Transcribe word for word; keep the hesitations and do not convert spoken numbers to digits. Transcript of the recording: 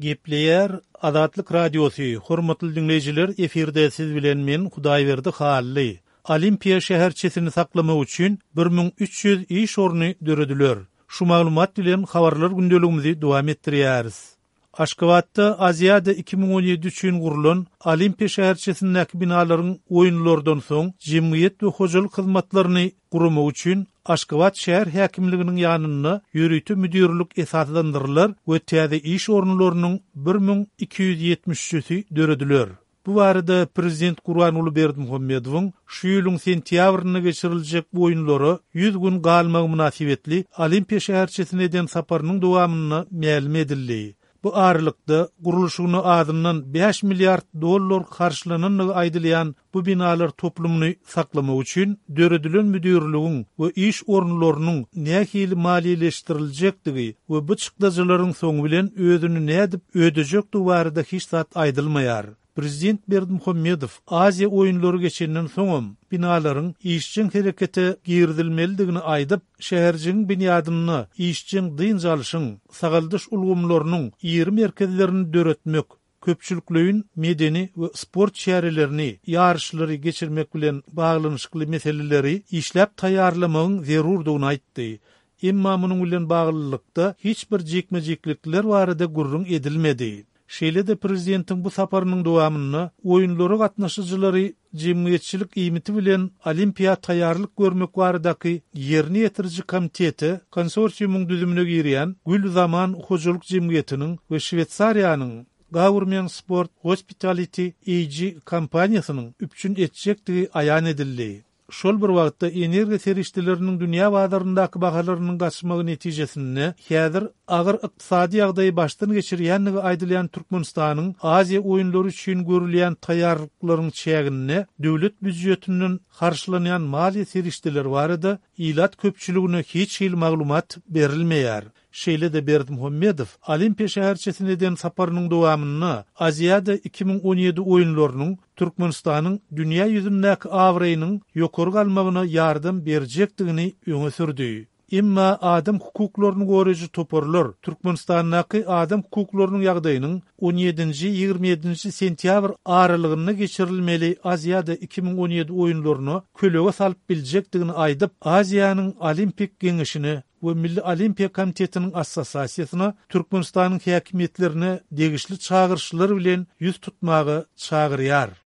Gepleýär Azatlyk Radiosy, hormatly diňleýjiler, efirde siz bilen men Hudaýberdi Hally. Olimpiýa şäherçesini saklamak üçin bir müň üç ýüz iş orny dörediler. Şu maglumat bilen habarlar gündeligimizi dowam etdirýäris. Aşgabatda Aziada iki müň on ýedi üçin gurlan Olimpiýa şäherçesindäki binalaryň oýunlardan soň jemgyýet we hojalyk hyzmatlaryny guramak üçin Aşgabat şäher häkimliginiň ýanynda ýörite müdirlik esaslandyrylar we täze iş orunlarynyň bir müň iki ýüz ýetmiş üçüsi dörediler. Bu barada Prezident Gurbanguly Berdimuhamedowyň şu ýylyň sentýabrynda geçiriljek oýunlara ýüz gün galmagy mynasybetli Olimpiýa şäherçesine eden saparynyň dowamynda mälim edildi. Bu aralykda gurluşygyna azyndan bäş milliard dollar harçlanandygy aýdylýan bu binalar toplumyny saklamak üçin döredilen müdirligiň we iş orunlarynyň nähili maliýeleşdiriljekdigi we bu çykdajylaryň soňy bilen özüni nädip ödejekdigi barada hiç zat aýdylmaýar. Prezident Berdimuhamedow Aziýa oýunlary geçenden soňam binalaryň işjeň herekete girizilmelidigini aýdyp, şäherjigiň binýadynda işjeň dynç alyşyň, sagaldyş ulgamlarynyň iri merkezlerini döretmek, köpçülikleýin medeni we sport çärelerini, ýaryşlary geçirmek bilen baglanyşykly meseleleri işläp taýýarlamagyň zerurdygyny aýtdy. Emma munuň bilen baglylykda hiç bir jikme-jiklikler barada gürrüň edilmedi. Şeýle-de prezidentiň bu saparynyň dowamynda oýunlara gatnaşyjylary jemgyýetçilik iýmiti bilen olimpiýa taýýarlyk görmek baradaky ýerine ýetiriji komitete konsorsiumyň düzümine girýän Gül Zaman hojalyk jemgyýetiniň we Şweýsariýanyň Government Sport Hospitality A G kompaniýasynyň üpjün etjekdigi aýan edildi. Şol bir wagtda energiýa serişdeleriniň dünýä bazaryndaky bahalarynyň gaçmagy netijesinde häzir agyr ykdysady ýagdaýy başdan geçirýändigi aýdylýan Türkmenistanyň Aziýa oýunlary üçin görülýän taýýarlyklaryň çäginde döwlet býujetinden harçlanýan maliýe serişdeleri barada ilat köpçüligine hiç hili maglumat berilmeýär. Şeýle-de Berdimuhamedow Olimpiýa şäherçesine eden saparynyň dowamynda Aziada iki müň on ýedi oýunlarynyň Türkmenistanyň dünýä ýüzündäki abraýynyň ýokary galmagyna ýardam berjekdigini öňe sürdi. Emma adam hukuklaryny goraýjy toparlar Türkmenistandaky adam hukuklarynyň ýagdaýynyň on ýedinji ýigrimi ýedinji sentýabr aralygynda geçirilmeli Aziada iki müň on ýedi oýunlaryna kölege salyp biljekdigini aýdyp, Aziýanyň Olimpik Geňeşine we Milli Olimpiýa Komitetiniň Assosiasiýasyna Türkmenistanyň häkimiýetlerine degişli çagyryşlar bilen ýüz tutmaga çagyrýar.